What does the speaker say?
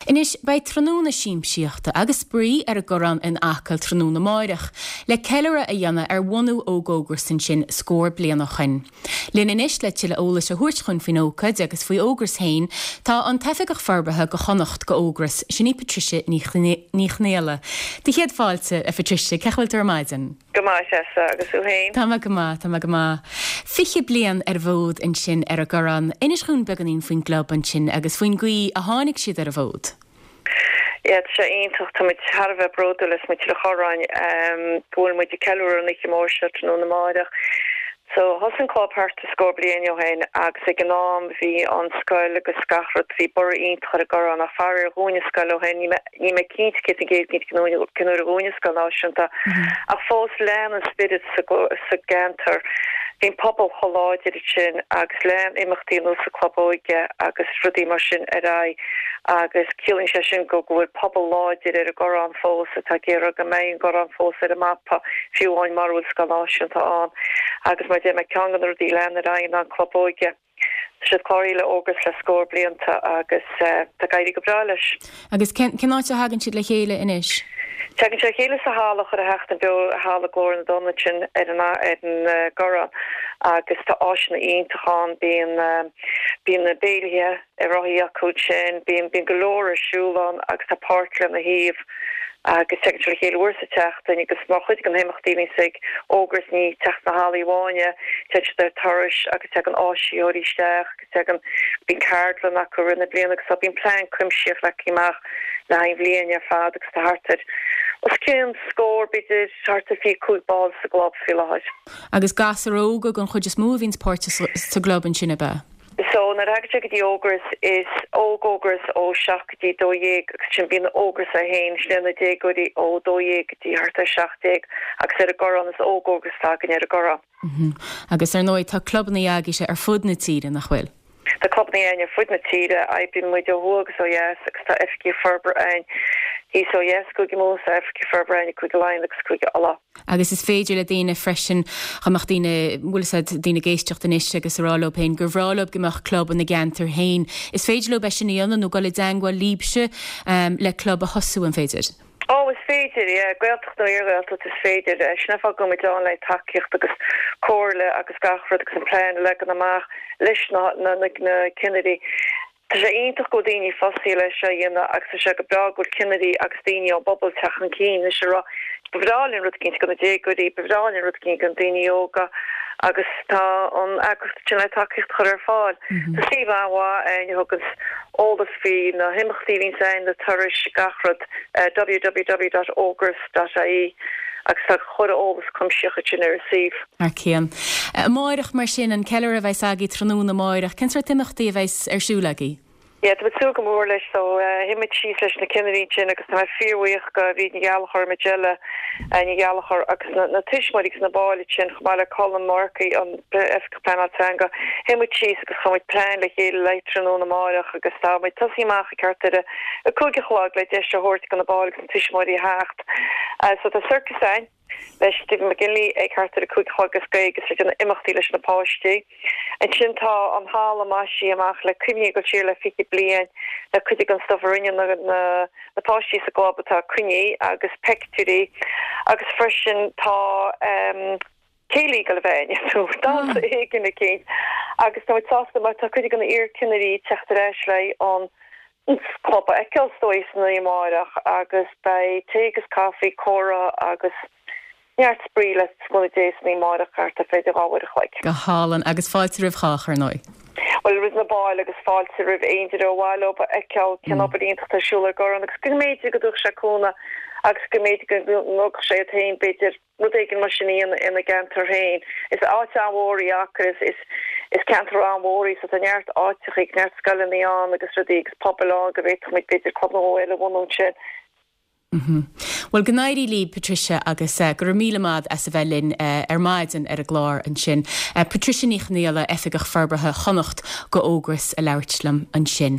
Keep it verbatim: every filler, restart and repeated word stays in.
Anois, beidh tráthnóna siamsaíochta agus spraoi ar an gCorrán in Acaill tráthnóna amáireach, le ceiliúradh a dhéanamh ar bhunú Óg-Ógras ansin scór bliain ó shoin. Linn anois le tuilleadh eolais a thabhairt dhúinn faoin ócáid agus faoi Ógras féin, tá an tOifigeach Forbartha go Chonnacht go Ógras, sin í Patricia Ní Chonghaile. Do chéad fáilte, a Phatricia, cén chaoi a bhfuil tú ar maidin? Go maith Treasa, agus tú féin? Tá mé go maith, tá mé go maith. Fiche bliain ar an bhfód ansin ar an gCorrán. Inis dhúinn beagáinín faoin gclub ansin agus faoin gcaoi a tháinig siad ar an bhfód. Yeah, tá sé iontach, tá muid thar a bheith bródúil as muintir an Chorráin go bhfuil muid ag ceiliúradh an oíche mhór seo tráthnóna amáireach. So thosaigh an club thart ar scór bliain ó shin agus ag an am bhí an scoil agus gach rud, bhí borradh iontach ar an gCorrán ach faraor dhún an scoil ó shin, níl mé cinnte céad faoin gcéad cinnte cén uair a dhún an scoil náisiúnta ach fós lean an spiorad sa gceantar. Bhí an pobal chomh láidir ansin agus lean imeachtaí ar nós an Club Óige agus rudaí mar sin ar aghaidh agus ciallaíonn sé sin go go bhfuil pobal láidir ar an gCorrán fós atá ag iarraidh go mbeidh an Corrán fós ar an mapa fiú amháin mura bhfuil scoil náisiúnta ann agus mar a deir mé ceann de na rudaí a lean ar aghaidh ná an Club Óige. Tá siad cláraithe le Ógras le scór blianta agus tá ag éirí go breá leis. Agus cén áit a thagann siad le chéile anois? Tagann siad le chéile sa halla Chuile Sheachtain Beo, Halla Glór na dTonn ansin ar an ar an gCorrán agus tá áiseanna iontacha ann, bíonn bíonn na béilithe ar rothaí acu ansin, bíonn bíonn go leor ar siúl ann agus tá páirc lena thaobh agus tagann siad le chéile uair sa tseachtain agus mar chuid de na himeachtaí a bhíonns ag Ógras ní teacht sna hallaí amháin é, téann siad ar turais agus tagann áisitheoirí isteach agus tagann, bíonn ceardlann acu i rith na bliana agus tá, bíonn plean cuimsitheach leagtha amach le haghaidh an bhliain ar fad agus tá thart ar os cionn scór, b'fhéidir thart ar fiche cúig ball sa gclub faoi láthair. Agus gasúir óga den chuid is mó a bhíonns páirteach sa gclub ansin, ab ea? So nuair a thagann sé go dtí Ógras, is Óg-Ógras ó seacht go dtí dó dhéag agus ansin bíonn Ógras é féin, sin é na déagóirí ó dó dhéag go dtí thart ar seacht déag agus ar an gCorrán is Óg-Ógras atá againn ar an gCorrán. Agus ar ndóigh tá clubanna agaibhse ar fud na tíre, nach bhfuil? Tá clubanna againn ar fud na tíre, oibríonn muid ó thuaidh agus ó dheas agus tá oifigigh forbartha againn thíos ó dheas i gCúige Mumhan, tá oifigigh forbartha againn i gCúige Laighean agus Cúige Uladh. Agus is féidir le daoine freisin, dá mbeadh daoine, bhfuil fhios a'd, daoine ag éisteacht anois agus a rá leo féin gur bhreá leo go mbeadh club ina gceantar féin, is féidir leo é sin a dhéanamh nó dul i dteangmháil libhse le club a thosú, an féidir? Ó, is féidir, yeah. Gaeltacht nó iar-Ghaeltacht, is féidir. Sin an fáth go bhfuil muid ann le tacaíocht agus comhairle agus gach rud agus an plean a leagan amach leis na na cinnirí. Tá sé iontach go bhfuil daoine fostaithe leis seo a dhéanamh agus tá sé go breá go bhfuil cinnirí agus daoine ón bpobal ag teacht chun cinn anois ag rá ba bhreá linn rud eicínt do na déagóirí, ba bhreá linn rud eicínt do na daoine óga agus tá an eagraíocht sin le tacaíocht a chur ar fáil. Tá suíomh an-mhaith againn a thuganns eolas faoi na himeachtaí a bhíonns againn, na turais, gach rud, www dot ógras dot ie agus tá chuile eolas cuimsitheach ansin ar an suíomh. Thar cionn. Amáireach, mar sin, an ceiliúradh a bheas agaibh tráthnóna amáireach, cén sórt imeachtaí a bheas ar siúl agaibh? Yeah, tá muid ag súil go mór leis so shuigh muid síos leis na cinnirí ansin agus tá mé fíorbhuíoch go Bhríd Ní Ghallchóir, Majella Ní Ghallchóir agus na na tuismitheoirí agus na baill ansin chomh maith le Colm Murphy, an Oifigeach Pleanála Teanga. Shuigh muid síos agus chuir muid plean le chéile le tráthnóna amáireach agus tá muid tosaí amach ag thart ar a cúig a chlog le deis a thabhairt do na baill agus na tuismitheoirí a theacht. So tá sorcas againn. le Stephen McGinley ag thart ar a cúig a chlog is gaeilge is ag déanamh imeachtaí leis na páistí. Ansin tá an halla maisithe amach le cuimhní ag dul siar le fiche bliain le cuid den stuif a rinne na na páistí sa gclub atá coinnithe agus peictiúirí agus freisin tá céilí ag dul a bheith ann nó damhsa éigin eicínt agus tá muid sásta mar tá cuid de na iar-chinnirí ag teacht ar ais le an club a fheiceáil is dóigh san oíche amárach agus beidh tae agus caife, comhrá agus neart spraoi le cúnamh Dé san oíche amárach thart ar fé dhá uair a chloig. Go hálainn agus fáilte roimh chách ar ndóigh. Bhuel roimh na baill agus fáilte roimh aon duine ar mhaith leo a fheiceáil cén obair iontach atá ar siúl ar an gCorrán agus go mb'fhéidir go dtabharfadh sé cúnamh agus go mb'fhéidir go ngabhfadh sé iad féin b'fhéidir rud éigin mar sin a dhéanamh ina gceantar féin. Is áit an-mhór í Acaill, is is ceantar an-mhór í so tá neart áiteachaí, neart scoileanna ann agus rudaí agus pobail ann go bhféadfadh muid b'fhéidir club nó dhó eile a bhunú ansin. Bhuel, go n-éirí libh, Patricia, agus go raibh míle maith as a bheith linn ar maidin ar an gclár ansin. Patricia Ní Chonghaile, Oifigeach Forbartha Chonnacht go Ógras a labhairt liom ansin.